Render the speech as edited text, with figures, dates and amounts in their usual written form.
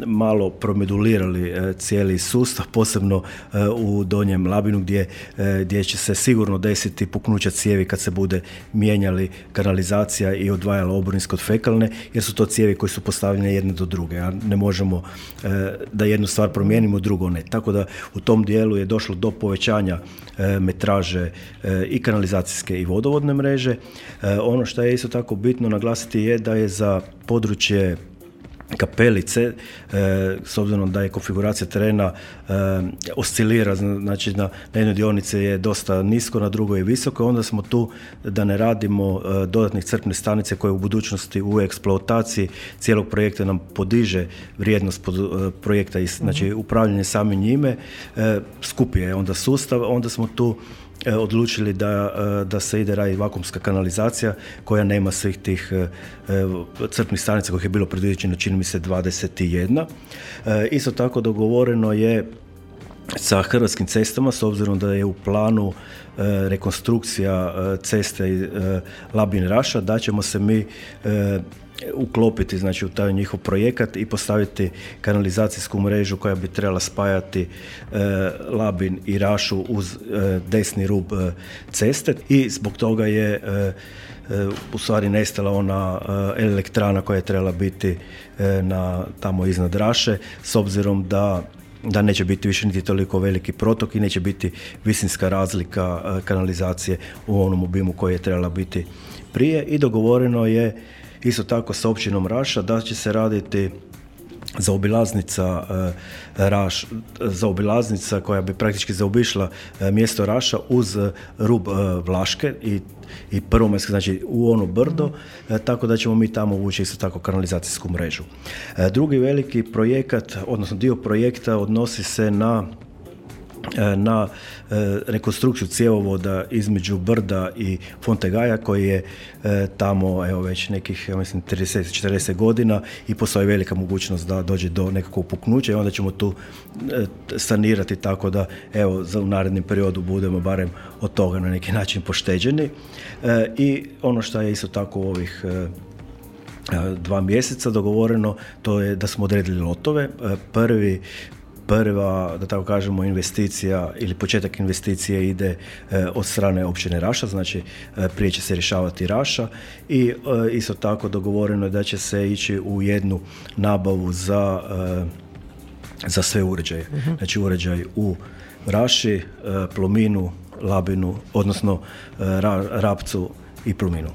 malo promedulirali cijeli sustav, posebno u Donjem Labinu gdje će se sigurno desiti puknuća cijevi kad se bude mijenjali kanalizacija i odvajala oborinska od fekalne, jer su to cijevi koje su postavljene jedne do druge, a ne možemo da jednu stvar promijenimo, drugo ne. Tako da u tom dijelu je došlo do povećanja metraže i kanalizacijske i vodovodne mreže. Ono što je isto tako bitno naglasiti je da je za područje Kapelice, s obzirom da je konfiguracija terena oscilira, znači na jednoj dionici je dosta nisko, na drugoj je visoko, onda smo tu da ne radimo dodatnih crpne stanice koje u budućnosti u eksploataciji cijelog projekta nam podiže vrijednost projekta i znači upravljanje samim njime, skupi je onda sustav, onda smo tu odlučili da se ide raditi vakuumska kanalizacija koja nema svih tih crpnih stanica kojih je bilo predviđeno, čini mi se 21. Isto tako dogovoreno je sa Hrvatskim cestama, s obzirom da je u planu rekonstrukcija ceste Labin-Raša, da ćemo se mi uklopiti znači u taj njihov projekat i postaviti kanalizacijsku mrežu koja bi trebala spajati Labin i Rašu uz desni rub ceste i zbog toga je u stvari nestala ona elektrana koja je trebala biti tamo iznad Raše, s obzirom da neće biti više niti toliko veliki protok i neće biti visinska razlika kanalizacije u onom obimu koji je trebala biti prije. I dogovoreno je isto tako sa općinom Raša da će se raditi zaobilaznica koja bi praktički zaobišla mjesto Raša uz rub Vlaške i Prvomajske, znači u ono brdo, tako da ćemo mi tamo uvući isto tako kanalizacijsku mrežu. Drugi veliki projekat, odnosno dio projekta odnosi se na rekonstrukciju cjevovoda između Brda i Fontegaja koji je tamo već nekih, ja mislim, 30-40 godina i postoji velika mogućnost da dođe do nekakvog puknuća i onda ćemo tu sanirati tako da u narednom periodu budemo barem od toga na neki način pošteđeni. I ono što je isto tako u ovih 2 mjeseca dogovoreno, to je da smo odredili lotove. Prva, da tako kažemo, investicija ili početak investicije ide od strane općine Raša, znači prije će se rješavati Raša i isto tako dogovoreno je da će se ići u jednu nabavu za sve uređaje. Znači uređaj u Raši, Plominu, Labinu, odnosno Rapcu i Plominu.